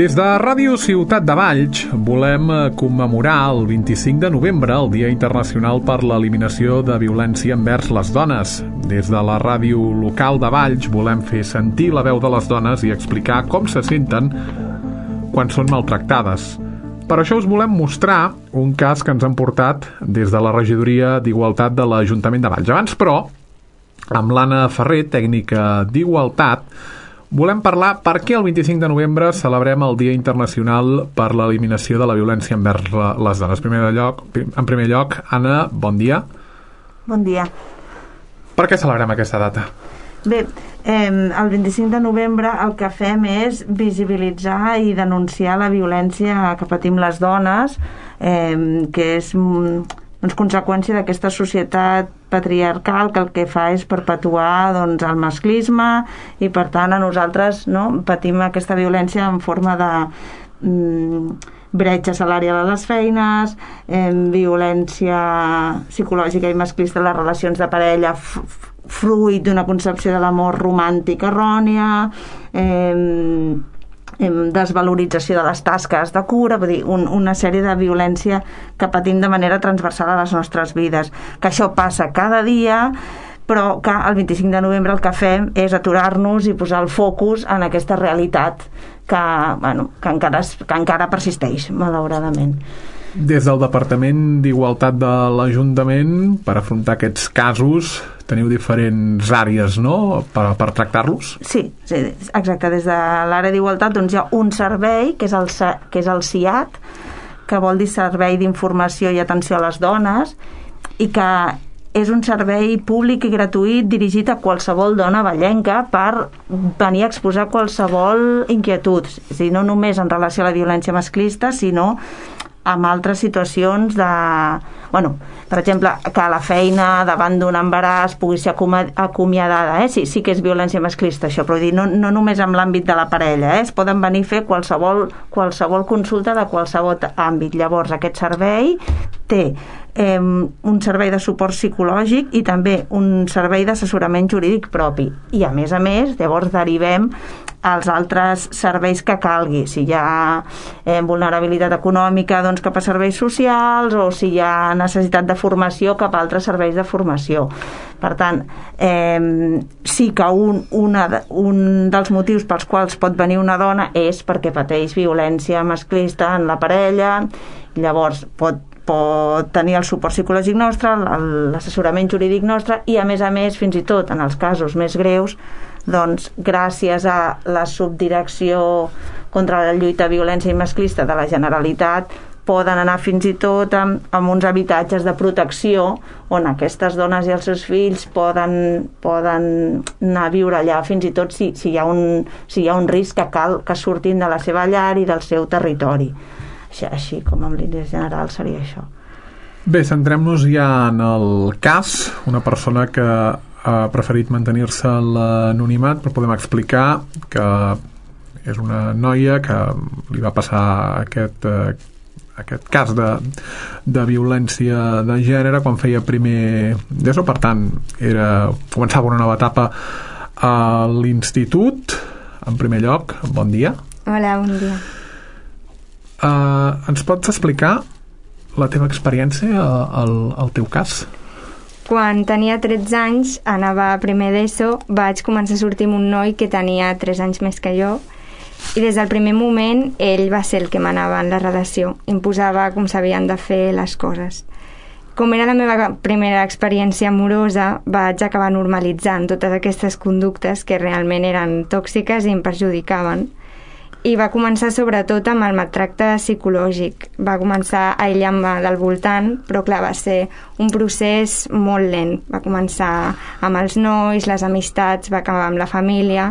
Des de Ràdio Ciutat de Valls volem commemorar el 25 de novembre, el Dia Internacional per l'Eliminació de Violència envers les Dones. Des de la ràdio local de Valls volem fer sentir la veu de les dones i explicar com se senten quan són maltractades. Per això us volem mostrar un cas que ens han portat des de la regidoria d'Igualtat de l'Ajuntament de Valls. Abans, però, amb l'Anna Ferrer, tècnica d'Igualtat, volem parlar per què el 25 de novembre celebrem el Dia Internacional per l'Eliminació de la Violència envers les Dones. En primer lloc, Anna, bon dia. Bon dia. Per què celebrem aquesta data? Bé, el 25 de novembre el que fem és visibilitzar i denunciar la violència que patim les dones, que és conseqüència d'aquesta societat patriarcal que el que fa és perpetuar el masclisme i per tant a nosaltres patim aquesta violència en forma de bretxa salarial a les feines, violència psicològica i masclista en les relacions de parella fruit d'una concepció de l'amor romàntic errònia, desvalorització de les tasques de cura, vull dir, una sèrie de violència que patim de manera transversal a les nostres vides, que això passa cada dia, però que el 25 de novembre el que fem és aturar-nos i posar el focus en aquesta realitat que encara persisteix, malauradament. Des del Departament d'Igualtat de l'Ajuntament, per afrontar aquests casos, teniu diferents àrees, no?, per tractar-los? Sí, exacte. Des de l'àrea d'Igualtat hi ha un servei, que és el SIAT, que vol dir Servei d'Informació i Atenció a les Dones, i que és un servei públic i gratuït dirigit a qualsevol dona vallenca per venir a exposar qualsevol inquietud, és a dir, no només en relació a la violència masclista, sinó amb altres situacions de... per exemple, que la feina davant d'un embaràs pugui ser acomiadada, sí que és violència masclista això, però dir, no només en l'àmbit de la parella, es poden venir a fer qualsevol consulta de qualsevol àmbit. Llavors aquest servei té un servei de suport psicològic i també un servei d'assessorament jurídic propi, i a més llavors derivem als altres serveis que calgui, si hi ha vulnerabilitat econòmica cap a serveis socials, o si hi ha necessitat de formació cap a altres serveis de formació. Per tant, sí que un dels motius pels quals pot venir una dona és perquè pateix violència masclista en la parella, llavors pot tenir el suport psicològic nostre, l'assessorament jurídic nostre, i a més, fins i tot en els casos més greus, gràcies a la subdirecció contra la lluita a violència i masclista de la Generalitat, poden anar fins i tot amb uns habitatges de protecció on aquestes dones i els seus fills poden anar a viure allà, fins i tot si hi ha un risc que cal que surtin de la seva llar i del seu territori. Així com en línies generals seria això. Bé, centrem-nos ja en el cas. Una persona que ha preferit mantenir-se a l'anonimat, però podem explicar que és una noia que li va passar aquest cas de violència de gènere quan feia primer d'ESO, per tant començava una nova etapa a l'institut. En primer lloc, bon dia. Hola, bon dia. Ens pots explicar la teva experiència, el teu cas? Quan tenia 13 anys, anava a primer d'ESO, vaig començar a sortir amb un noi que tenia 3 anys més que jo, i des del primer moment ell va ser el que manava en la relació, imposava com s'havien de fer les coses. Com era la meva primera experiència amorosa, vaig acabar normalitzant totes aquestes conductes que realment eren tòxiques i em perjudicaven. I va començar sobretot amb el maltracte psicològic. Va començar a aïllar-me del voltant, però clar, va ser un procés molt lent. Va començar amb els nois, les amistats, va acabar amb la família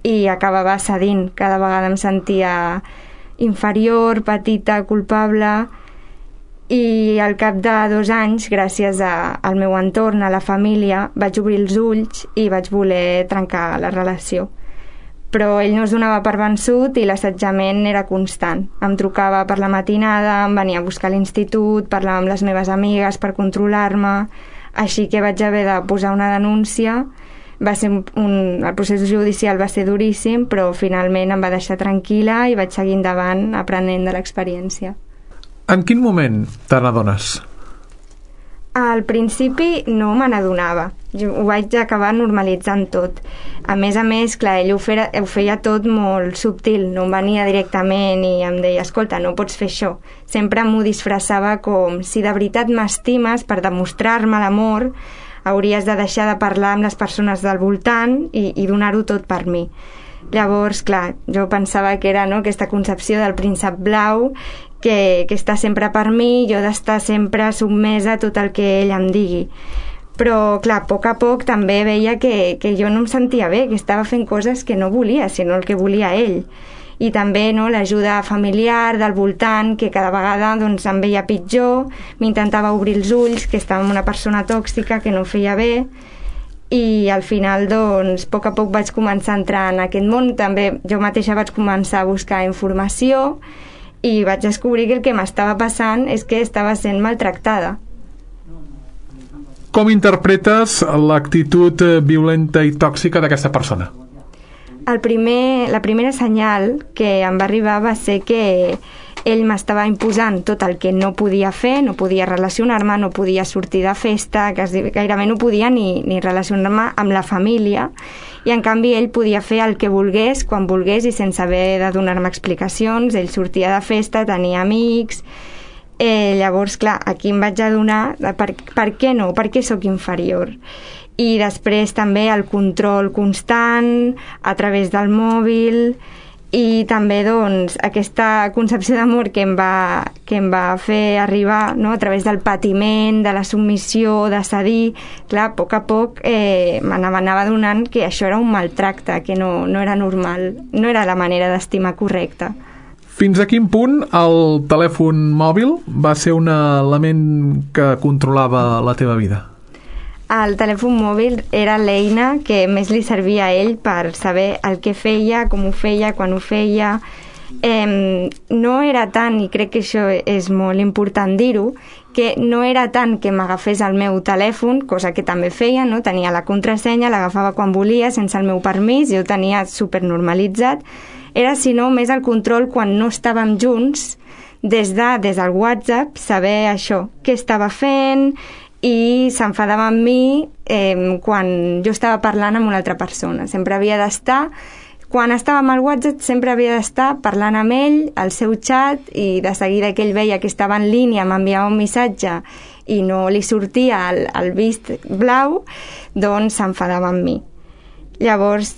i acabava cedint. Cada vegada em sentia inferior, petita, culpable, i al cap de 2 anys, gràcies al meu entorn, a la família, vaig obrir els ulls i vaig voler trencar la relació. Però ell no es donava per vençut i l'assetjament era constant. Em trucava per la matinada, em venia a buscar a l'institut, parlava amb les meves amigues per controlar-me, així que vaig haver de posar una denúncia, el procés judicial va ser duríssim, però finalment em va deixar tranquil·la i vaig seguir endavant aprenent de l'experiència. En quin moment te n'adones? Al principi no me n'adonava, jo ho vaig acabar normalitzant tot. A més, clar, ell ho feia tot molt subtil, no em venia directament i em deia, escolta, no pots fer això. Sempre m'ho disfressava com, si de veritat m'estimes, per demostrar-me l'amor, hauries de deixar de parlar amb les persones del voltant i donar-ho tot per mi. Llavors, clar, jo pensava que era, no, aquesta concepció del príncep blau que està sempre per mi, jo d'estar sempre sotmesa a tot el que ell em digui. Però, clar, a poc també veia que jo no em sentia bé, que estava fent coses que no volia, sinó el que volia ell. I també, no, l'ajuda familiar del voltant, que cada vegada doncs, em veia pitjor, m'intentava obrir els ulls, que estava amb una persona tòxica que no feia bé, i al final, doncs, a poc vaig començar a entrar en aquest món. També jo mateixa vaig començar a buscar informació i vaig descobrir que el que m'estava passant és que estava sent maltractada. Com interpretes l'actitud violenta i tòxica d'aquesta persona? La primera senyal que em va arribar va ser que ell m'estava imposant tot el que no podia fer, no podia relacionar-me, no podia sortir de festa, gairebé no podia ni relacionar-me amb la família, i en canvi ell podia fer el que volgués, quan volgués i sense haver de donar-me explicacions. Ell sortia de festa, tenia amics. Llavors, clar, aquí em vaig adonar de per què no, per què sóc inferior. I després també el control constant a través del mòbil, i també doncs aquesta concepció d'amor que em va fer arribar, no, a través del patiment, de la submissió, de cedir. Clar, a poc m'anava adonant que això era un maltracte, que no era normal, no era la manera d'estimar correcta. Fins a quin punt el telèfon mòbil va ser un element que controlava la teva vida? El telèfon mòbil era l'eina que més li servia a ell per saber el que feia, com ho feia, quan ho feia. No era tant, i crec que això és molt important dir-ho, que no era tant que m'agafés el meu telèfon, cosa que també feia, no? Tenia la contrasenya, l'agafava quan volia, sense el meu permís, jo ho tenia supernormalitzat. Era, sinó, més el control quan no estàvem junts, des del WhatsApp, saber això, què estava fent, i s'enfadava amb mi quan jo estava parlant amb una altra persona. Sempre havia d'estar, quan estava amb el WhatsApp, sempre havia d'estar parlant amb ell, al seu xat, i de seguida que ell veia que estava en línia, m'enviava un missatge i no li sortia el vist blau, doncs s'enfadava amb mi. Llavors,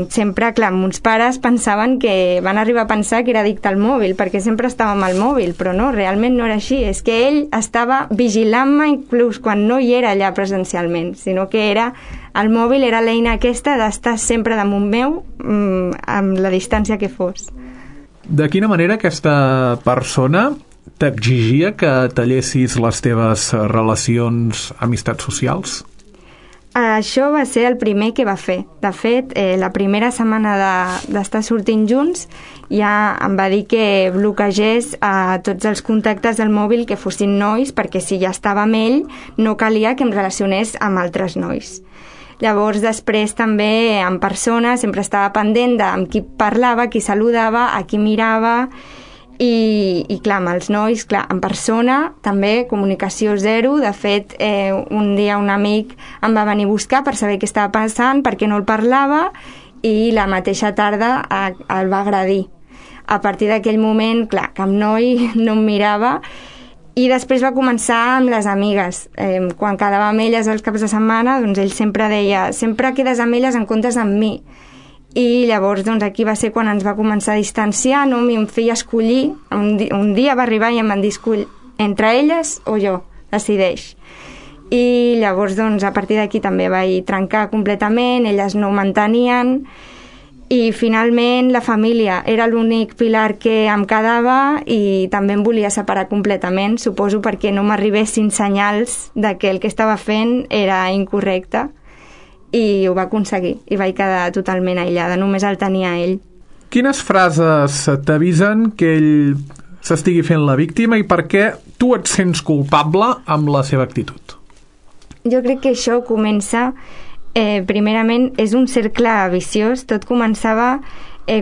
sempre, clar, mons pares pensaven que van arribar a pensar que era addicte al mòbil, perquè sempre estava amb el mòbil, però no, realment no era així. És que ell estava vigilant-me inclús quan no hi era allà presencialment, sinó que el mòbil era l'eina aquesta d'estar sempre damunt meu, amb la distància que fos. De quina manera aquesta persona t'exigia que tallessis les teves relacions, amistats socials? Això va ser el primer que va fer. De fet, la primera setmana d'estar sortint junts ja em va dir que bloquegés a tots els contactes del mòbil que fossin nois, perquè si ja estava amb ell no calia que em relacionés amb altres nois. Llavors, després també en persona sempre estava pendent amb qui parlava, qui saludava, a qui mirava. I clar, amb els nois, clar, en persona també comunicació zero. De fet, un dia un amic em va venir a buscar per saber què estava passant, perquè no el parlava, i la mateixa tarda el va agredir. A partir d'aquell moment, clar, cap noi no em mirava, i després va començar amb les amigues. Quan quedava amb elles els caps de setmana, doncs ell sempre deia, sempre quedes amb elles en comptes amb mi. I llavors doncs aquí va ser quan ens va començar a distanciar, no? Em feia escollir, un dia va arribar i em van dir, escull entre elles o jo, decideix. I llavors doncs a partir d'aquí també vaig trencar completament, elles no ho mantenien, i finalment la família era l'únic pilar que em quedava, i també em volia separar completament, suposo perquè no m'arribessin senyals de que el que estava fent era incorrecte. I ho va aconseguir, i vaig quedar totalment aïllada, només el tenia ell. Quines frases t'avisen que ell s'estigui fent la víctima i per què tu et sents culpable amb la seva actitud? Jo crec que això comença Primerament, és un cercle viciós. Tot començava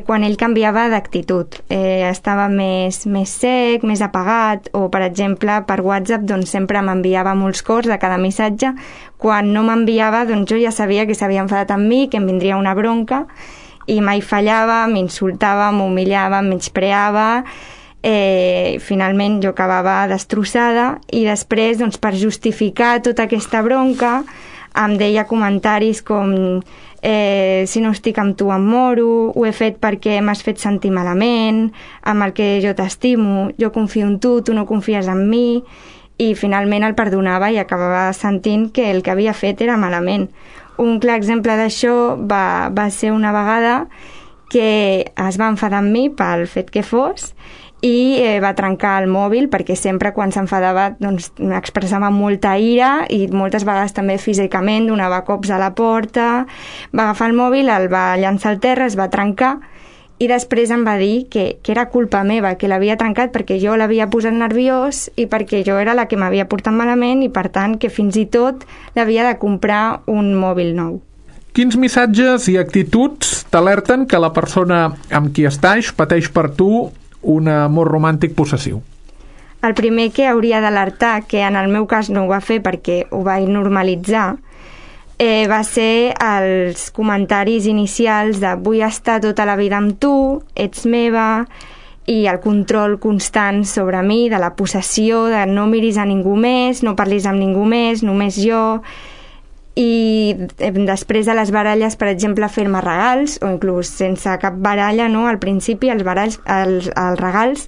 quan ell canviava d'actitud. Estava més sec, més apagat, o, per exemple, per WhatsApp doncs, sempre m'enviava molts cors de cada missatge. Quan no m'enviava, doncs jo ja sabia que s'havia enfadat amb mi, que em vindria una bronca, i mai fallava, m'insultava, m'humillava, em menyspreava. Finalment jo acabava destrossada, i després, doncs, per justificar tota aquesta bronca, em deia comentaris com si no estic amb tu em moro, ho he fet perquè m'has fet sentir malament, amb el que jo t'estimo, jo confio en tu, tu no confies en mi, i finalment el perdonava i acabava sentint que el que havia fet era malament. Un clar exemple d'això va ser una vegada que es va enfadar amb mi pel fet que fos, i va trencar el mòbil, perquè sempre quan s'enfadava doncs, expressava molta ira, i moltes vegades també físicament donava cops a la porta. Va agafar el mòbil, el va llançar al terra, es va trencar, i després em va dir que era culpa meva, que l'havia trencat perquè jo l'havia posat nerviós i perquè jo era la que m'havia portat malament, i per tant que fins i tot l'havia de comprar un mòbil nou. Quins missatges i actituds t'alerten que la persona amb qui estàs pateix per tu un amor romàntic possessiu? El primer que hauria d'alertar, que en el meu cas no ho va fer perquè ho vaig normalitzar, va ser els comentaris inicials de vull estar tota la vida amb tu, ets meva, i el control constant sobre mi, de la possessió, de no miris a ningú més, no parlis amb ningú més, només jo. I després de les baralles, per exemple, fer-me regals, o inclús sense cap baralla, no? Al principi els regals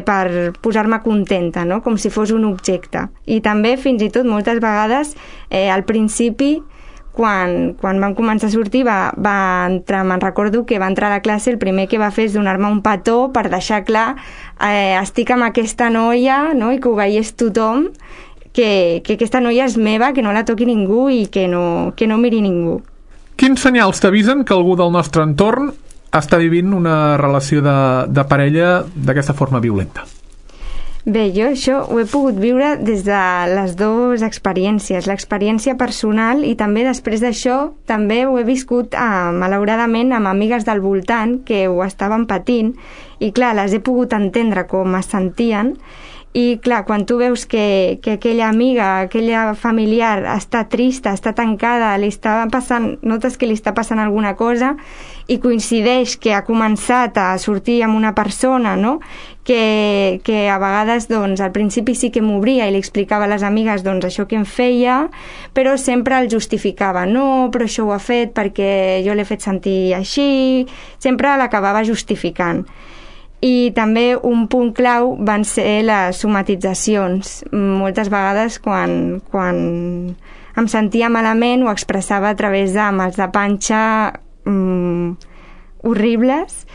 per posar-me contenta, no? Com si fos un objecte. I també, fins i tot, moltes vegades, al principi, quan vam començar a sortir, va entrar, me'n recordo que va entrar a la classe, el primer que va fer és donar-me un petó per deixar clar estic amb aquesta noia, no? I que ho veiés tothom, que aquesta noia és meva, que no la toqui ningú i que no miri ningú. Quins senyals t'avisen que algú del nostre entorn està vivint una relació de parella d'aquesta forma violenta? Bé, jo això ho he pogut viure des de les dues experiències, l'experiència personal, i també després d'això també ho he viscut malauradament amb amigues del voltant que ho estaven patint, i clar, les he pogut entendre com es sentien. I clar, quan tu veus que aquella amiga, aquella familiar està trista, està tancada, notes que li està passant alguna cosa, i coincideix que ha començat a sortir amb una persona, no? que a vegades doncs, al principi sí que m'obria i li explicava a les amigues doncs, això que em feia, però sempre el justificava. No, però això ho ha fet perquè jo l'he fet sentir així, sempre l'acabava justificant. I també un punt clau van ser les somatitzacions. Moltes vegades quan em sentia malament ho expressava a través de mals de panxa horribles,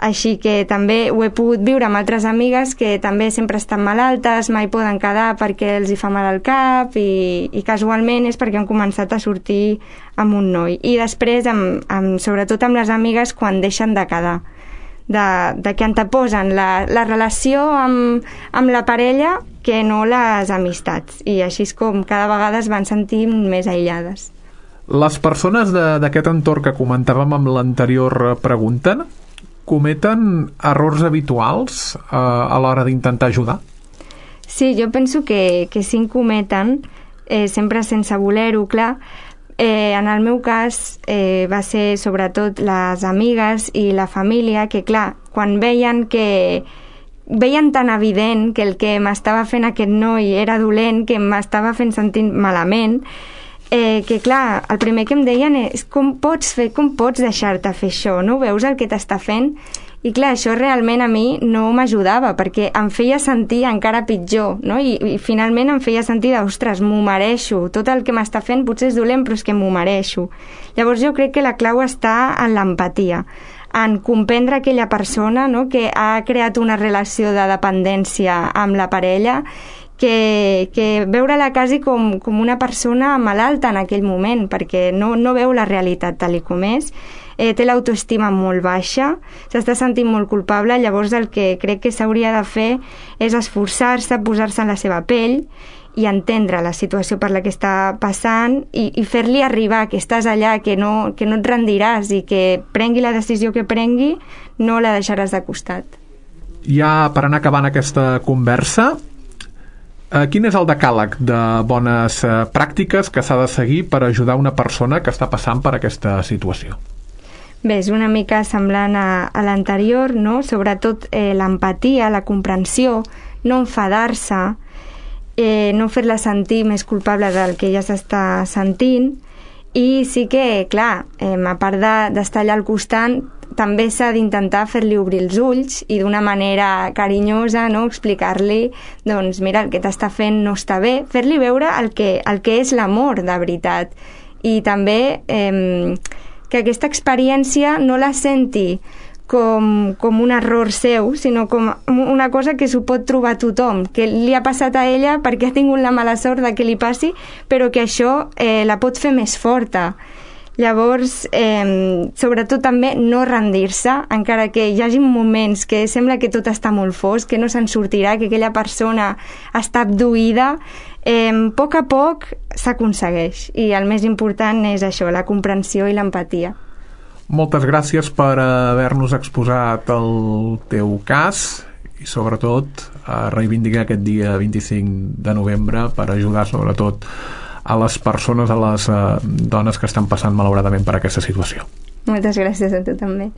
així que també ho he pogut viure amb altres amigues que també sempre estan malaltes, mai poden quedar perquè els hi fa mal al cap, i casualment és perquè han començat a sortir amb un noi. I després, sobretot amb les amigues, quan deixen de quedar, de que anteposen la relació amb la parella que no les amistats, i així és com cada vegada es van sentir més aïllades. Les persones d'aquest entorn que comentàvem amb l'anterior pregunta cometen errors habituals a l'hora d'intentar ajudar? Sí, jo penso que sí en cometen, sempre sense voler-ho, clar. En el meu cas va ser sobretot les amigues i la família, que clar, quan veien tan evident que el que m'estava fent aquest noi era dolent, que m'estava fent sentir malament, que clar, el primer que em deien és com pots deixar-te fer això, no veus el que t'està fent? I clar, això realment a mi no m'ajudava, perquè em feia sentir encara pitjor, no? I finalment em feia sentir ostres, m'ho mereixo, tot el que m'està fent potser és dolent, però és que m'ho mereixo. Llavors jo crec que la clau està en l'empatia, en comprendre aquella persona, no?, que ha creat una relació de dependència amb la parella, que veure-la quasi com una persona malalta en aquell moment, perquè no veu la realitat tal com és, té l'autoestima molt baixa, s'està sentint molt culpable. Llavors el que crec que s'hauria de fer és esforçar-se, posar-se en la seva pell i entendre la situació per la que està passant i fer-li arribar que estàs allà, que no et rendiràs i que prengui la decisió que prengui, no la deixaràs de costat. Ja per anar acabant aquesta conversa, quin és el decàleg de bones pràctiques que s'ha de seguir per ajudar una persona que està passant per aquesta situació? Bé, és una mica semblant a l'anterior, no? Sobretot l'empatia, la comprensió, no enfadar-se, no fer-la sentir més culpable del que ja s'està sentint, i sí que, clar, a part d'estar allà al costat, també s'ha d'intentar fer-li obrir els ulls i d'una manera carinyosa, no? Explicar-li, doncs mira, el que t'està fent no està bé, fer-li veure el que és l'amor de veritat, i també que aquesta experiència no la senti com un error seu, sinó com una cosa que s'ho pot trobar tothom, que li ha passat a ella perquè ha tingut la mala sort de que li passi, però que això la pot fer més forta. Llavors, sobretot també no rendir-se, encara que hi hagi moments que sembla que tot està molt fosc, que no se'n sortirà, que aquella persona està abduïda, a poc s'aconsegueix, i el més important és això, la comprensió i l'empatia. Moltes gràcies per haver-nos exposat el teu cas i sobretot a reivindicar aquest dia 25 de novembre per ajudar sobretot a les persones, a les dones que estan passant malauradament per aquesta situació. Moltes gràcies a tu també.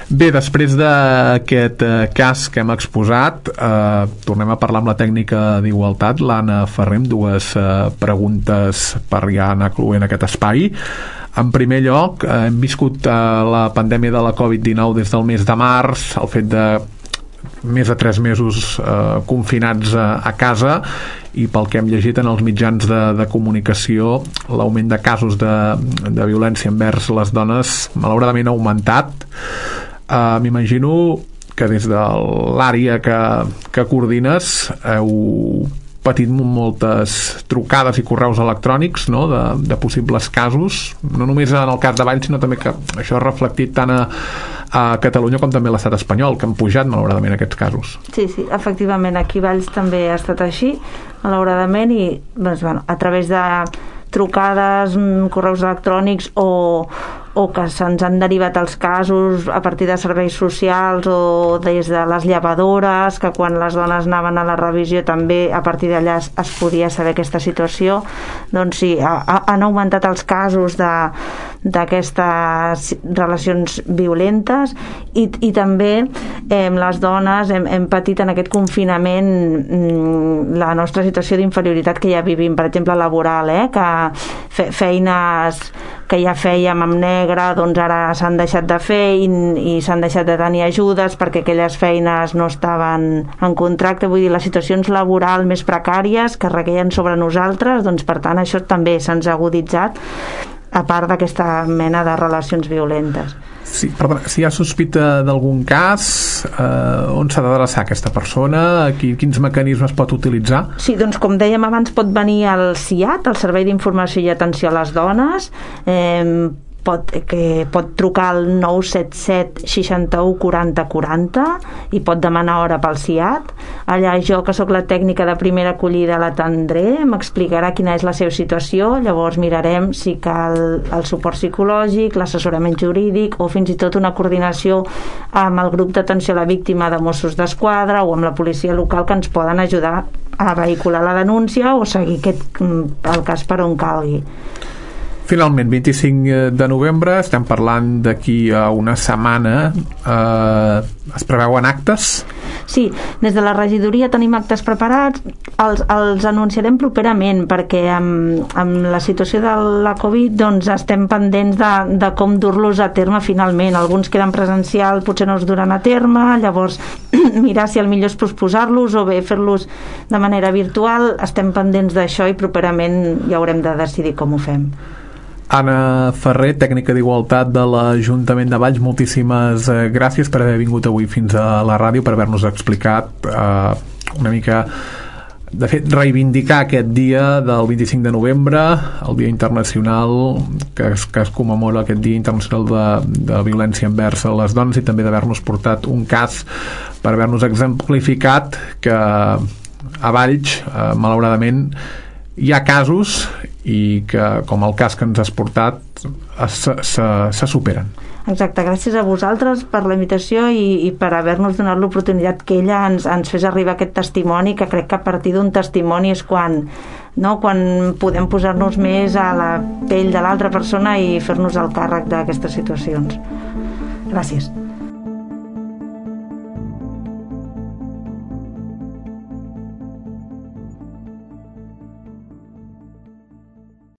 Bé, després d'aquest cas que hem exposat, tornem a parlar amb la tècnica d'Igualtat, l'Anna Ferrer, amb dues preguntes per ja anar cloent aquest espai. En primer lloc, hem viscut la pandèmia de la Covid-19 des del mes de març, el fet de més de 3 mesos confinats a casa, i pel que hem llegit en els mitjans de comunicació, l'augment de casos de violència envers les dones malauradament ha augmentat. M'imagino que des de l'àrea que coordines heu patit moltes trucades i correus electrònics, no?, de possibles casos, no només en el cas de Valls, sinó també que això ha reflectit tant a Catalunya com també a l'estat espanyol, que han pujat malauradament aquests casos. Sí, efectivament, aquí a Valls també ha estat així, malauradament, i doncs, bueno, a través de trucades, correus electrònics o que se'ns han derivat els casos a partir de serveis socials o des de les llevadores, que quan les dones anaven a la revisió també a partir d'allà es podia saber aquesta situació. Doncs sí, han augmentat els casos d'aquestes relacions violentes i també les dones hem patit en aquest confinament la nostra situació d'inferioritat que ja vivim, per exemple laboral, que feines que ja fèiem amb negre, doncs ara s'han deixat de fer i s'han deixat de tenir ajudes perquè aquelles feines no estaven en contracte. Vull dir, les situacions laborals més precàries que requeien sobre nosaltres, doncs per tant això també se'ns ha aguditzat, a part d'aquesta mena de relacions violentes. Sí, perdona, si hi ha sospita d'algun cas, on s'ha d'adreçar aquesta persona? Quins mecanismes pot utilitzar? Sí, doncs com dèiem abans, pot venir al CIAT, el Servei d'Informació i Atenció a les Dones, pot trucar al 977 61 40 40 i pot demanar hora pel CIAT. Allà jo, que sóc la tècnica de primera acollida, l'atendré, m'explicarà quina és la seva situació, llavors mirarem si cal el suport psicològic, l'assessorament jurídic o fins i tot una coordinació amb el grup d'atenció a la víctima de Mossos d'Esquadra o amb la policia local, que ens poden ajudar a vehicular la denúncia o seguir el cas per on calgui. Finalment, 25 de novembre, estem parlant d'aquí a una setmana, es preveuen actes? Sí, des de la regidoria tenim actes preparats, els anunciarem properament perquè amb la situació de la Covid doncs estem pendents de com dur-los a terme finalment. Alguns queden presencial, potser no es duran a terme, llavors mirar si el millor és posposar-los o bé fer-los de manera virtual. Estem pendents d'això i properament ja haurem de decidir com ho fem. Anna Ferrer, tècnica d'Igualtat de l'Ajuntament de Valls, moltíssimes gràcies per haver vingut avui fins a la ràdio, per haver-nos explicat una mica, de fet, reivindicar aquest dia del 25 de novembre, el Dia Internacional que es commemora aquest Dia Internacional de Violència envers les dones, i també d'haver-nos portat un cas per haver-nos exemplificat que a Valls, malauradament, hi ha casos i que, com el cas que ens has portat, se superen. Exacte, gràcies a vosaltres per la invitació i per haver-nos donat l'oportunitat que ella ens fes arribar aquest testimoni, que crec que a partir d'un testimoni és quan podem posar-nos més a la pell de l'altra persona i fer-nos el càrrec d'aquestes situacions. Gràcies.